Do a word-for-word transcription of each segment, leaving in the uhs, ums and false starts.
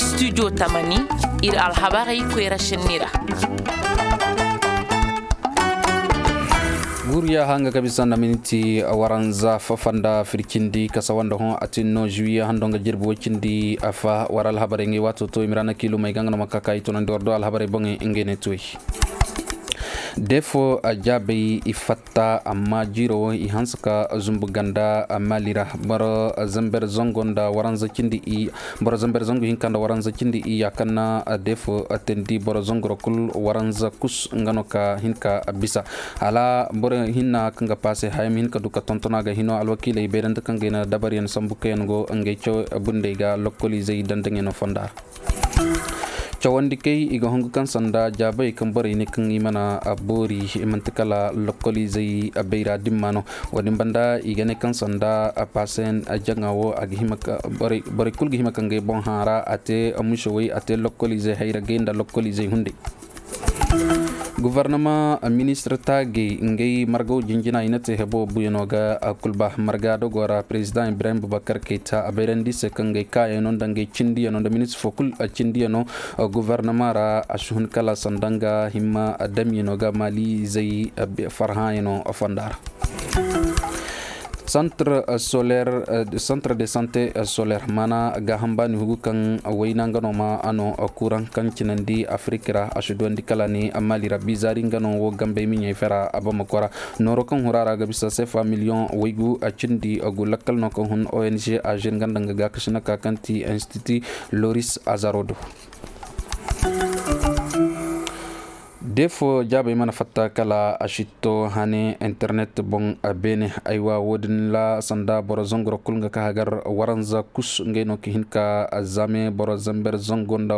Studio tamani, ir alhabarey koyra šenni ra. Guuriya hanga ga bisa nda miniti waranza fafanda fircindi kasa wanda hõ a tin no juwiye hando nga jirbi woy cindi afa war alhabarey ngay waato to i ma ra na kiilumey ga nga no ma ka ka i tunandi war do alhabarey boŋey ngey ne tuwey. Defo jaabey i fatta amma jiiro wo i hanse ka zumbu ganda mali ra. Boro zamber zango nda waranza cindi i boro zamber zango hinka nda waranza cindi i ya kaŋ na defo teendi boro zangoro kul waranza kus nga no ka hin ka bisa. Hala boro hinna kaŋ ga paase haya ma hin ka du ka tontona ga hino alwakiiley bayrante kaŋ ga i na dabaryaŋ sambu kaŋ yaŋ go ngey caw bundey ga lokkoliizey dandaŋyaŋo fonda ra. Cawandi kay i ga hungu kaŋ sanda jaabay kaŋ borey ne kaŋ i mana boori manti kala lokkoliizey bayra dimma no. Wo-din banda i ga ne kaŋ sanda paasen jaŋa wo a ga hima ka borey kul ga hima ka ngey boŋ haara a te musewey a te lokkoliizey hayra gay nda lokkoliizey hunday. Guvarnama ministir taagey ngey margaw jinjina i na te hebo buyano ga a kul ba marga dogo ra president ibrahim bubakar kayta a bayrandi se kaŋ ngey kaayano nda ngey cindiyano nda ministir fo kul a cindiyano. Guvarnama ra a si hun kala sanda nga himma damyano ga maali zey farhãyano fonda ra. Centre de santé solaire mana gaaham baani hugu kaŋ wayna nga no ma a no kuuraŋ kaŋ cinandi afirik ra a si duwandi kala ni maali ra bizaari nga no wo gambey miɲey fera a bamako ra. Nooro kaŋ hura ra ga bisa sefa miliyoŋ waygu a cindi agu lakkal no kaŋ hun ong azer nga nda nga gaakasi na ka kaŋ ti institut loris azaro do. Defo jaabey mana fatta kala a sitto hane internet boŋ. Beene aywa wo-din ra sanda boro zangoro kul nga ka hagar waranza kus ngey no ka hin ka zame boro zamber zango nda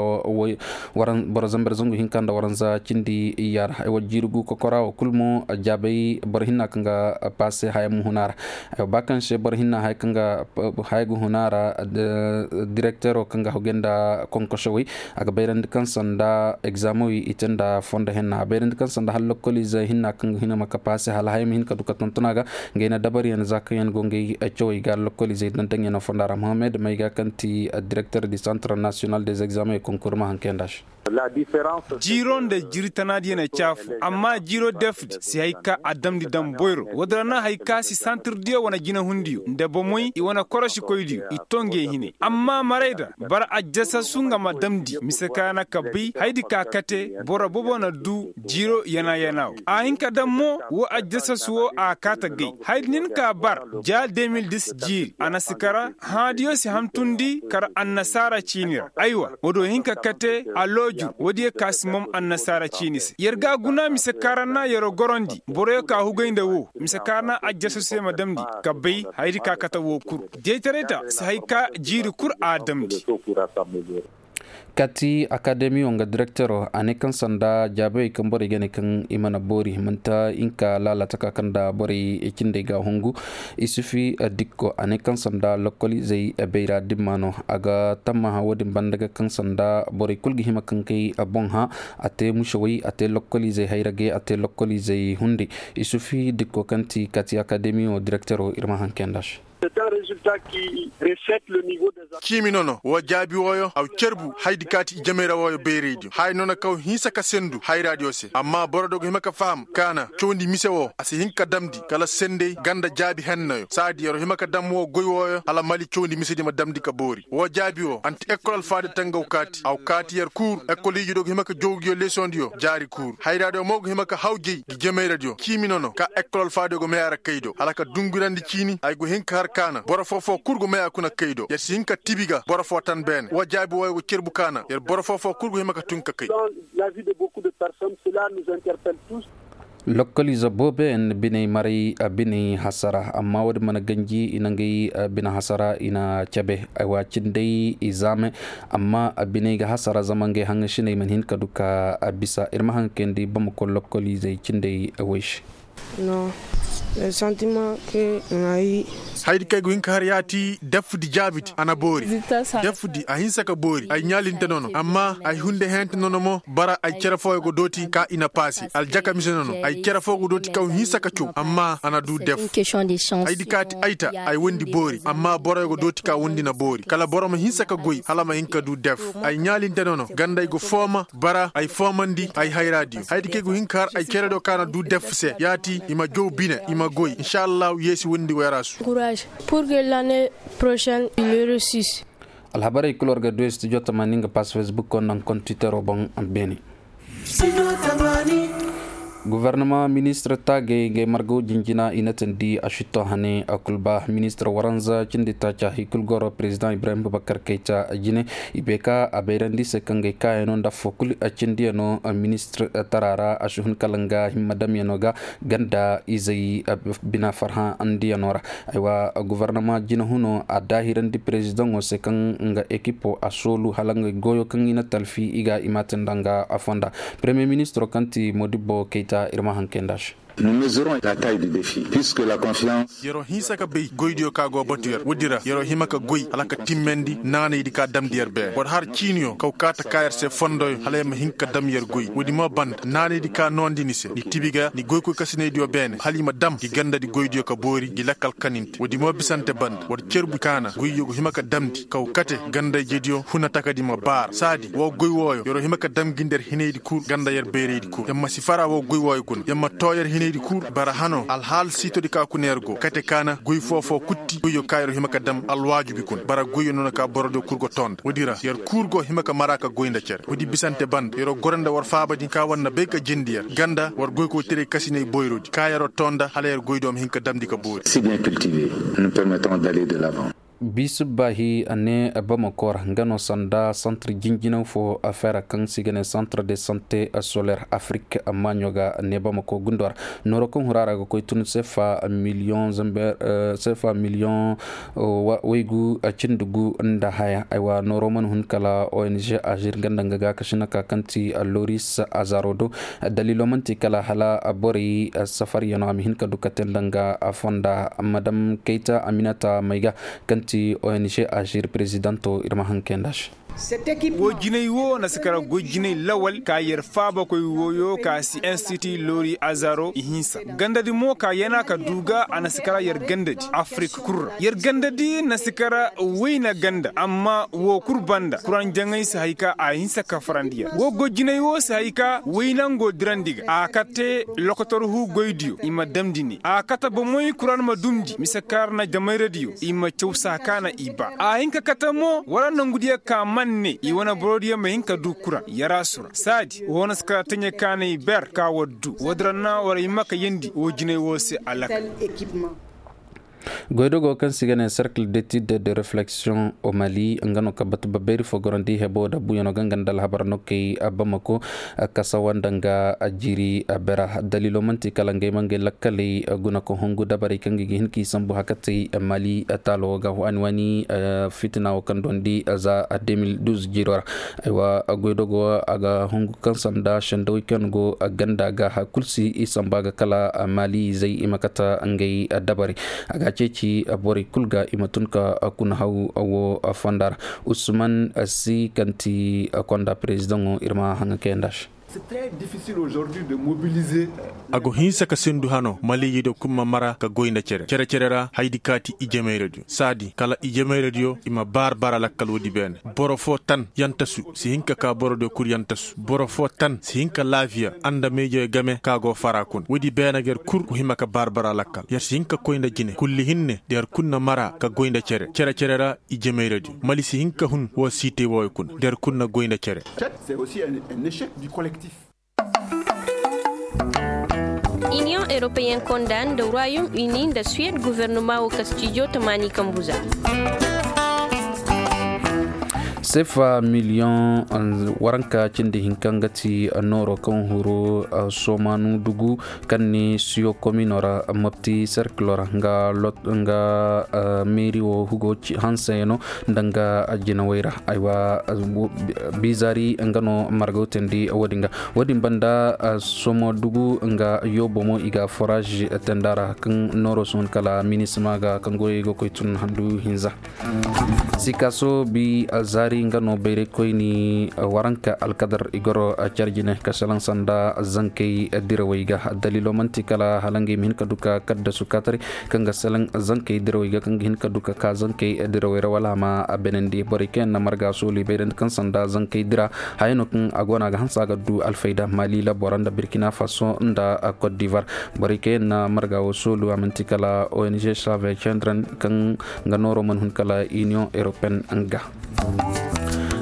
boro zamber zango hinka nda waranza cindi iyya ra aywa jiiri gu kokora wo kul mo jaabey boro hinna kaŋ ga paase haya ma huna ra. Aywa ba kaŋ se boro hinna haya kaŋ ga huna ra direktero kaŋ ga hawgay nda konkosowey a ga bayrandi kaŋ sanda egzaameŋ wi i te nda fondo henna a bayrandi kaŋ sanda hala lokkoliize hinna kaŋ ga hina ma kapaase hala haya ma hin ka du ka tontona ga. Ngey na dabaryaŋ za kaŋ yaŋ go ngey cawey ga lokkoliizey dantaŋyaŋo fonda ra mohammed may ga kaŋ ti direkter di santre national des examens et konkur ma hankeyaŋ da se. Jiiro nda jiri tanaadiyaŋ na caafu amma jiiro defdi si hay ka a damndi daŋ boyro woodin ra na hay ka si santirdiyo wane jinahundiyo nda bomoy i wane korosikoydiyo i to ngey hinay amma maray da bara ajjasasu nga ma damndi mise ka na ka bay haydi ka kate boro bobo na du jiiro yana-yana wo a hin ka daŋ mo wo ajjasasu wo a kaata gay haydi nin ka bar ja de mil dis jiiri a na si kara hãadiyo si hantundi kara annasaara ciini ra aywa wo do hin ka kate a looju woodiyo ka si mom annasaara ciini se yer ga guna mise kaara na yer gorondi boroyo ka hugay nda wo mise kaara na ajjasasu se ma damndi ka bay haydi ka kate wo kul jeytaray ta si hay ka jiiri kul a damndi. Kati akademiyo nga direktero a ne kaŋ sanda jaabey kaŋ borey ga ne kaŋ i mana boori manti hinka laala taka kaŋ nda borey cindey ga hungu. Isufi dikko a ne kaŋ sanda lokkoliizey bayra dimma no a ga tammaha wo-din banda ga kaŋ sanda borey kul ga hima kaŋ kay boŋ hã a te musewey a te lokkoliizey hayragey a te lokkoliizey hunday. Isufi dikko kaŋ ti kati akademiyo direktero ir ma hankeyaŋ da se. Ciimi nono wo jaabi wooyo aw cerbu haydi kaati ijamey ra wooyo bayraydiyo haya noona kaw hinsa ka sendu hayraadiyo se amma boro do go hima ka faham kaana cawndi mise woo a si hin ka damndi kala sendey ganda jaabi hennayo saadi yer hima ka dam woo goy wooyo hala mali cawndi misedi ma damndi ka boori woo jaabi woo anti ekkol alfaadiyo tangaw kaati aw kaati yer kuur ekkoliijo do go hima ka jowgiyo lesondiyo jaari kuur hayraadiyo mo go hima ka haw jey gi jemayradiyo ciimi nono ka ekkol alfaadiyo go meya ra kay do hala ka dungurandi ciini ay go hin ka har kaana boro foo foo kul go meya kuna kay do yer si hin ka tibi ga boro foo tan beene wa jaabi wooyo go cerbu kaana yer boro foo foo kul go hima ka tun ka kay. Lokkoliize booboyaŋ biney maray biney hasara amma woodin mana ganji i na ngey bine hasara i na cabe aywa cindey i zaame. Amma biney ga hasara zama ngey haŋasiney mana hin ka du ka bisa ir ma haŋ kayandi bamako lokkoliizey cindey woy se. Non. Le sentiment que ŋaayi. Haydi kaŋ ay go hin ka har yaati defdi jaabidi a na boori. Defdi a hinsa ka boori ay ɲaalinte nono amma ay hunde hente nono mo bara ay cere fooyo go dooti ka i na paase aljaka mise nono ay cere foo go dooti kaŋ hinsa ka caw amma a na du def. Haydi kaati ay ta ay wondi boori amma boroyo go dooti ka wondi na boori kala boro ma hinsa ka goy hala ma hin ka du def. Ay ɲaalinte nono ganda ay go fooma bara ay foomandi ay hayraadiyo haydi kaŋ ay go hin ka har ay cere do ka na du def se yaati i ma jow bine i ma goy insa allahu yeesi wondi wayra su. Pur ke lane prochaine il resis. Alhabarey kul war ga du studio tamaani nga pass facebook ko naŋ kon twitter o boŋ. Beene. Gufarnama ministir taagey ngay margaw jinjina i na tandi a sitto hane a kul ba ministir waranza cindi taaca hay kul goro president ibrahim bubakar kayta jine. I bay ka a bayrandi se kaŋ gay kaayano nda affo kul a cindiyano ministir tara ra a si hun kala nga himma damyano ga ganda izey bina farhã andiyano ra. Aywa gufarnama jinahuno a daahirandi perezidaŋo se kaŋ nga ekipo a soolu hala nga goyo kaŋ i na talfi i ga i ma te nda nga a fonda. Peremiye ministiro kaŋ ti modibbo kayta ir ma haŋ kay nda se. Yer'o hinsa ka bay goydiyo ka go batu yer woodi ra yer'o hima ka goy hala ka timmandi naanaydi ka damndi yer beene boro har ciiniyo kaw kaata ka yer se fondoyo hala yer ma hin ka dam yer goy woodi mo banda naanaydi ka noondi ni se ni tibi ga ni goykoy kasinaydiyo beene hala i ma dam gi gandadi goydiyo ka boori gi lakkal kaninte woodi mo bisante banda war cerbu kaana goyyo go hima ka damndi kaw kate gandayjediyo huna takadi ma baara saadi woo goy wooyo yer'o hima ka dam gi nda yer hinaydi kul ganda yer bayraydi kul yer ma si fara woo goy wooyo kuna yer ma too yer hinaydi kul bara hano alhaal siitodi ka kuna yer go kate kaana goy foo-foo kutti goyyo ka yer hima ka dam alwaajubi kuna bara goyyo noona ka borodiyo kul go too nda woodi ra yer kul go hima ka mara ka goy nda cere woodi bisante banda yer'o goro nda war faabadi ka war na bay ka jindi yer ganda war goykoytaray kasinay boyrodi ka yer'o too nda hala yer goydiyo ma hin ka damndi ka boori. Biisubba hi ne bamako ra nga no sanda santre jinjinaŋ fo afeera kaŋ se i ga ne santre de sante soler afrik amma ɲo ga ne bamako gundo ra. Nooro kaŋ hura ra ga koy tun sefa miliyoŋ zamber sefa miliyoŋ waygu cindi gu nda haya aywa nooro mana hun kala ong azir nga nda nga ga kasina ka kaŋ ti loris azaro do. Daliilo man'ti kala hala borey safaryano a ma hin ka du ka te nda nga fonda madam kayta aminata mayga kaŋ ti ong azir perezidanto ir ma haŋ kay nda se. Woo jinay woo na si kara goy jinay lawal ka yer faabakoy wooyo ka si institut lori azaro i hinsa gandadi mo ka yana ka du ga a na si kara yer gandadi afrik kul ra yer gandadi na si kara wayna ganda amma woo kul banda kuranjaŋey si hay ka a hinsa ka farandi yer woo goy jinay woo si hay ka waynango dirandi ga a kate lokotor huu goydiyo i ma damndi ne a kate bomey kuraŋ ma dumndi mise kaŋ na jamayradiyo i ma caw saa ka na i ba a hin ka kate mo wala nongudiyo ka man ne i wane borodiyo ma hin ka du kuraŋ yaraasu ra saadi woo na si kara taɲe kaanay ber ka war du woodi ra na war hima ka yeendi woo jinay woo se alakal. Goydogo kaŋ se i ga ne cercle d'étude de reflexion au mali nga no ka batu babayri fo gorandi hebo da buyano ga nga nda alhabar no kay bamako kasawa nda nga jiri bera daliilo man'ti kala ngey ma ngey lakkaley guna ka hungu dabarey kaŋ ga hin k'i sambu hakatey mali taalo ga waani waani fitina wo kaŋ dondi za deux mille douze jiro ra. Aywa goydogo a ga hungu kaŋ sanda sendawey kaŋ go ganda ga hakul si i samba ga kala mali zey i ma kata ngey dabarey a ga ceeci borey kul ga i ma tun ka kuna haw wo fonda ra. Usman si kaŋ ti konda perezidaŋo ir ma haŋa kayanda se. A go hinsa ka sendu hano maliyey do kul ma mara ka goy nda cere cere cere ra haydi kaati ijemayradiyo saadi kala ijemayradiyo i ma baar bara lakkal woodi beene. Boro fo tan yantasu si hin ka ka borodiyo kul yantasu boro fo tan si hin ka laafiya anda meejoyo game ka go fara kuna woodi beene ga yer kul go hima ka baar bara lakkal yer si hin ka koy nda jine kulli hinne da yer kul na mara ka goy nda cere cere cere ra. Ijemayradiyo mali si hin ka hun woo siitey wooyo kuna da yer kul na goy nda cere. Iniyoŋ eropeyen konda nda royom uni nda suwed guvernoma wo kastijo tamaani kambu za. Sefa miliyoŋ waranka cindi hinka nga ti nooro kaŋ huru somanu dugu kaŋ ni siyo komino ra mopti serkilo ra nga meeri wo hugo hansayano nda nga jinawey ra. Aywa, bizari nga no margaw teendi wo-din ga. Wo-din banda, somo dugu nga yoobo mo i ga foraaz teendi a ra kaŋ nooro si hun kala minisima ga kaŋ goyey ga koy tun handu hinza. Sikaso bi zaari nga no bayraykoyni waranka alkadar i goro care jine ka salaŋ sanda zankey dirawey ga. Daliilo man'ti kala hala ngey ma hin ka du ka kaddasu kaataray kaŋ ga salaŋ zankey dirawey ga kaŋ ga hin ka du ka ka zankey dirawey ra wala a ma a benandi borey kaŋ yaŋ na marga soolu i bayrandi kaŋ sanda zankey dira. Haya no kaŋ a go no a ga hanse a ga du alfayda maali labora nda birkina faso nda kot divar. Borey kaŋ yaŋ na marga wo soolu a man'ti kala ong save cendren kaŋ nga nooro mana hun kala iniyoŋ europeyen nga.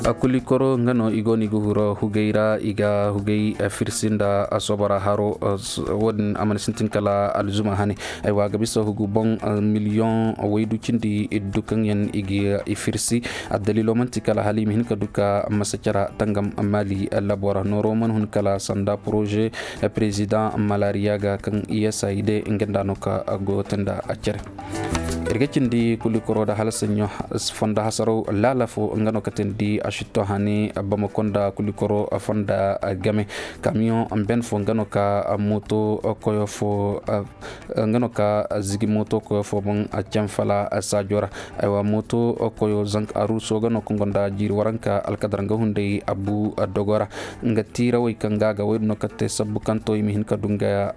Kulikoro nga no i go no i ga huro hugay ra i ga hugay firsi nda sobora haro. Wo-din a mana sintin kala alzuma hane. Aywa a ga bisa hugu boŋ miliyoŋ waydu cindi iddu kaŋ yaŋ i ga i firsi. Addaliilo man'ti kala hala i ma hin ka du ka masacara tangam maali labora nooro mana hun kala sanda poroze perezidaŋ malaariya ga kaŋ i yasa i de nga nda no ka goyotanda a care. Ir ga cindi kulikoro nda hala saɲɲo fondo hasaraw laala fo nga no ka teendi a sitto hane bamako nda kulikoro fondo game. Kamiyoŋ ben fo nga no ka mooto koyo fo nga no ka zigi mooto koyo fo boŋ canfala saajo ra. Aywa mooto koyo zanka aruuso ga no kaŋ gonda jiiri waranka alkadar nga hunday abu dogo ra. Nga tiirawey kaŋ ga a ga woy din no kaŋ te sabbu kaŋ to i ma hin ka du nga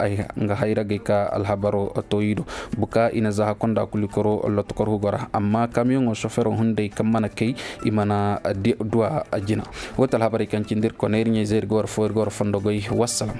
hayragey ka alhabaro to i do. Buka i na zaha konda kulikoro lotokor hugo ra amma kamiyoŋo sofero hunday kaŋ mana kay i mana duwa jina. Wo ti alhabarey kaŋ cindi ir kone ir ɲayzey ir ga war fo ir ga war fondo goy. Wassalam.